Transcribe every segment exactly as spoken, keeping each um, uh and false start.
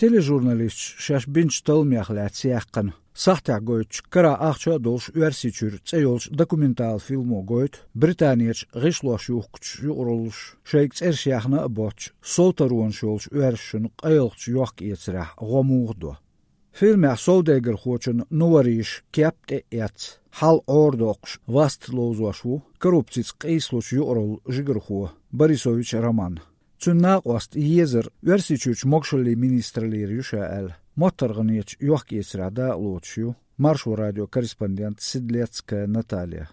Тележурналисташ шаьш бинчу талламех лаьцна яьккхина сахьтехь гойтучу, карахь ахча а долуш, Оьрсийчуьра цӀе йолчу документалан фильмо гойту Британерчу гӀишлош юхкучу юкъараллаш шайга цӀераш яьхна а боццуш, совтаронаш йолчу оьрсашна къайлахчу йохк-эцарехь гӀо муха до. Фильмехь совдегархочун Нувариша кеп тӀе а эцна, хьал Ӏорадоккхуш васт ловзош ву коррупцица къийсалучу юкъараллин жигархо Борисович Роман. Цуьнан накъост езар Оьрсийчуьрчу могушаллин министраллера ю ша аьлла, моттаргӀанечу йохк-эцарехь дакъалоцуш ю Маршо радион корреспондент Седлецкая Наталья.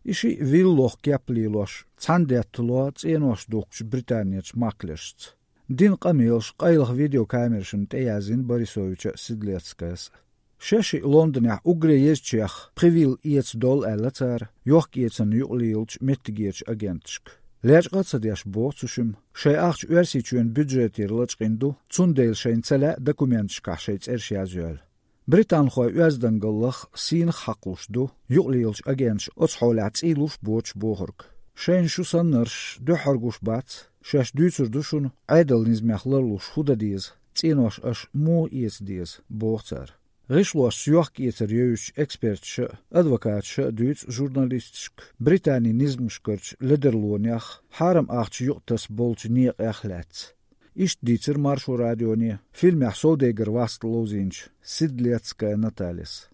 И шиъ виллох кеп лелош, цхьаьна деттало цӀенош духкучу Британерчу маклершца. Дина къамелаш къайлаха видеокамерашна тӀеяздина Борисовича а, Седлецкаяс а. Шаьш шиъ Лондонехь уггаре езачех пхи вилла эца долу аьлла цара йохк-эцарна юкъалелачу меттигерчу агенташка. Лечкъа а ца деш, боху цу шимма, шайн ахча Оьрсийчоьнан бюджетера лачкъийна ду, цундела шайна ца лаьа документашкахь шайн цӀераш язйойла. Британхойн оьздангаллах сийнах хьакхалуш ду юкъалелачу агенташа оцу хьолехь цӀийлуш боцуш бохург. Шайна шу саннарш, дуьххьара гуш бац, шаьш дуьйцур ду шуна, Ӏедалан низамех ларлуш хӀун дан деза, цӀенош аша муха эца деза, боху цара. ГӀишлошца йохк-эцар йовзучу эксперташа а, адвокаташа а дуьйцу журналисташка Британин низамашкарчу ледарлонех, хьарам ахча юкъатаса болчу некъех лаьцна. Иштта дийцира Маршо радионе фильмехь совдегар васт ловзийначу Седлецкая Натальяс.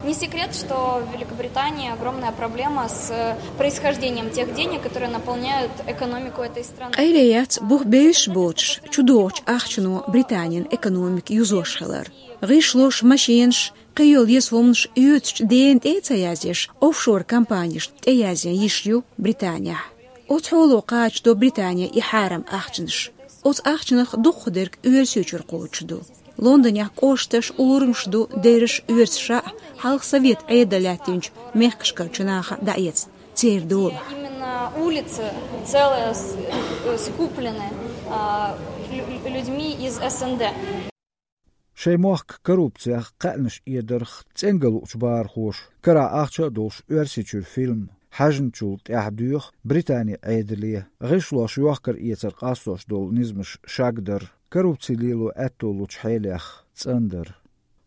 Не секрет, что в Великобритании огромная проблема с происхождением тех денег, которые наполняют экономику этой страны. Къайле яц бух бевзаш боцуш чудогӀучу ахчано Британин экономика юзош хилар. ГӀишлош, машенаш, кхийолу еза хӀуманаш оьцучу дена тӀе а ца язъеш, офшор компанешна тӀеязъян йиш ю Британехь. Оцу хьоло кхачадо Британе и хьарам ахчанаш. Оцу ахчанах дукхахдерг Оьрсийчуьра кхочуш ду. Лондонехь кӀошташ, урамаш ду, дерриш оьрсаша а, хьалха совет Ӏедал лаьттинчу мехкашкарчу наха а дӀаэцна, церан долахь. Именно улицы целые с-, э, скуплены, а, лю-, лю-, людьми из С Н Д. Шайн мохк коррупциях, кхаьънаш эдарх цӀенга луучу бахархоша карахь ахча а долуш Оьрсийчуьра фильм хьаьжначул тӀаьхьа доьху Британин Ӏедале гӀишлош йохкар-эцар къастош долу низамаш шагдар, коррупци лело аьтто лучу хьелех цӀандар.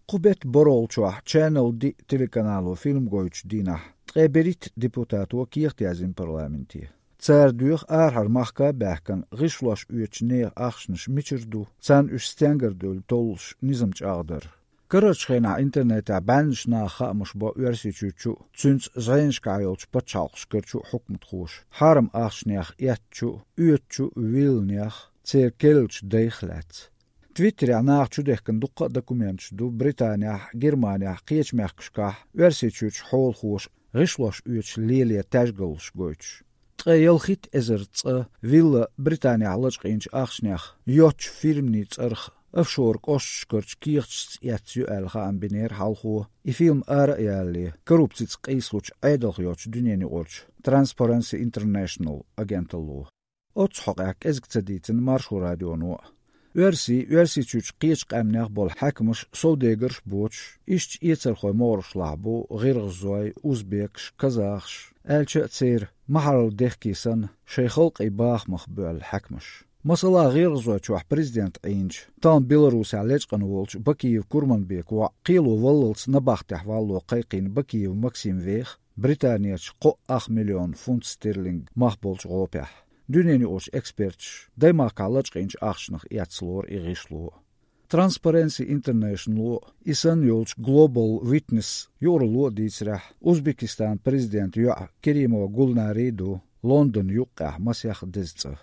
Кху беттан борхӀалгӀачохь Channel D телеканало фильм гойтучу дийнахь ткъе берхӀитта депутато кехат яздина парламенте. Цара доьху арахьара махка а баьхкина гӀишлош оьцучу нехан ахчанаш мичара ду, царна уьш стенгара девлла толлуш низам чӀагӀдар. Карарчу хенахь интернетехь бӀеннаш наха хаамаш бо Оьрсийчуьрчу а, цуьнца зӀенашкахь йолчу пачхьалкхашкарчу а хьукматхоша хьарам ахчанех эцначу а, оьцучу а вилланех, церан керлачу дайх лаьцна. Твиттерехь наха чудехкина дуккха а документаш ду Британехь, Германехь, кхечу мехкашкахь Оьрсийчуьрчу хьолахоша гӀишлош оьцуш лелаен таьжгаллаш гойтуш. Ткъе ялхитта эзар цкъа вилла Британехь лачкъийначу ахчанех йоцчу фирмийн цӀарах офшор кӀошташкарчу кехаташца эцна ю аьлла хаам бинера хьалхо, и фильм ара а ялале, коррупцица къийсалучу Ӏедалх йоцчу дуьненаюкъарчу Transparency International агенталло. Оццу хьокъехь кӀезиг ца дийцина Маршо радионо а. Оьрсийн, Оьрсийчуьрчу кхечу къаьмнех болу хьаькамаш совдегарш а боцуш, иштачу эцархойн могӀарашлахь бу гӀиргӀазой, узбекаш, казахаш, аьлча а церан, ма-хьаралла дехке санна, шайн халкъийн бахамах боьлла хьаькамаш. Масала, ГӀиргӀазойчохь президент Ӏийначу, тахана Беларусехь лечкъина волчу Бакиев Курманбека воӀ кхело валлалц набахтехь валло кхайкхийна Бакиев Максим веха Британерчу кхо ах миллион фунт стерлинг мах болчу гӀопехь. Дуьненаюкъарчу эксперташа даймахкахь лачкъийначу ахчанах эцна лору и гӀишло. Transparency International-о, и санна йолчу Global Witness юкъаралло а дийцарехь, Узбекистанан президентан йоӀ Керимова Гулнари ду Лондон юккъехь масех деза цӀа.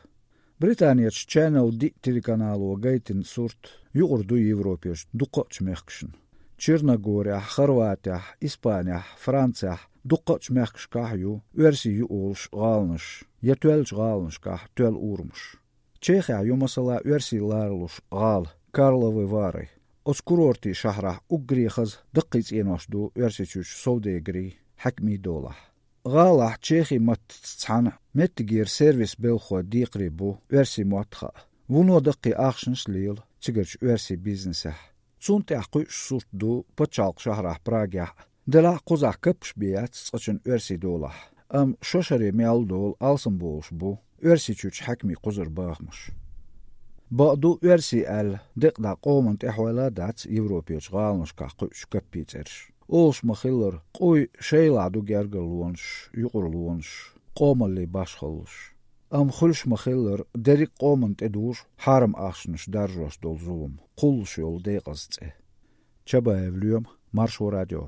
Британерчу Channel D телеканало гайтина сурт юкъара ду Европерчу дуккхачу мехкашна. Черногорехь, Хорватехь, Испанехь, Францехь, дуккхачу мехкашкахь а ю оьрсий ю олуш гӀаланаш я тоьллачу гӀаланашкахь тоьлла урамаш. Чехехь ю, масала, оьрсий ларалуш гӀала Карловы Вары. Оцу курортийн шахьарахь уггаре хаза даккхий цӀенош ду Оьрсийчуьрчу совдегарийн, хьаькамийн долахь. ГӀалахь чехи маттаца цхьаьна меттигера сервис белхахойн декхаре бу оьрсийн мотт хаа. Вуно даккхий ахчанаш а лела цигарчу оьрсийн бизнесехь. Цунна тӀехь кхуьуш сурт ду пачхьалкхан шахьарахь Прагехь а. Делахь а кхузахь каппаш бен яц цкъачунна оьрсийн долахь. Амма шо шаре мел долу алсамболуш бу Оьрсийчуьрчу хьаькамийн кхузара бахамаш. Бакъду, оьрсий аьлла, декъа дӀа къоман тӀехьойла а дац Европерчу гӀаланашкахь кхуьучу каппийн цӀераш. Олуш ма-хиллара, къуй шайлахь ду гергарлонаш, юкъарлонаш, къомаллин башхаллаш. Амма хуьлуш ма-хиллара, дерриг а къоманна тӀедужу хьарам ахчанаш даржош долу зулам, кхуллуш йолу декъаза цӀе. Чабаев Лоьма, Маршо радио.